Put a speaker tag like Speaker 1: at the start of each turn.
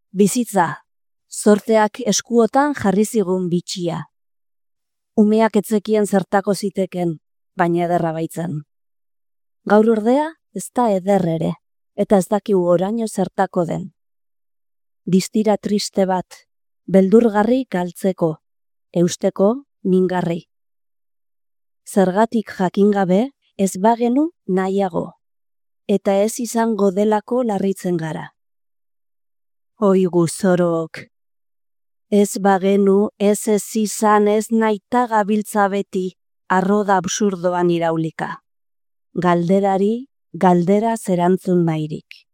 Speaker 1: Bizitza, zorteak eskuotan jarri zigun bitxia. Umeak etzekien zertako ziteken, baina ederra baitzen. Gaur ordea ez da eder ere, eta ez dakigu oraino zertako den. Distira triste bat, beldurgarri galtzeko, eusteko mingarri. Zergatik jakingabe ez bagenu nahiago, eta ez izango delako larritzen gara. Oigu zorok, ez bagenu ez izan ez naita gabiltza beti arroda absurdoan iraulika. Galderari, galdera zerantzun nahirik.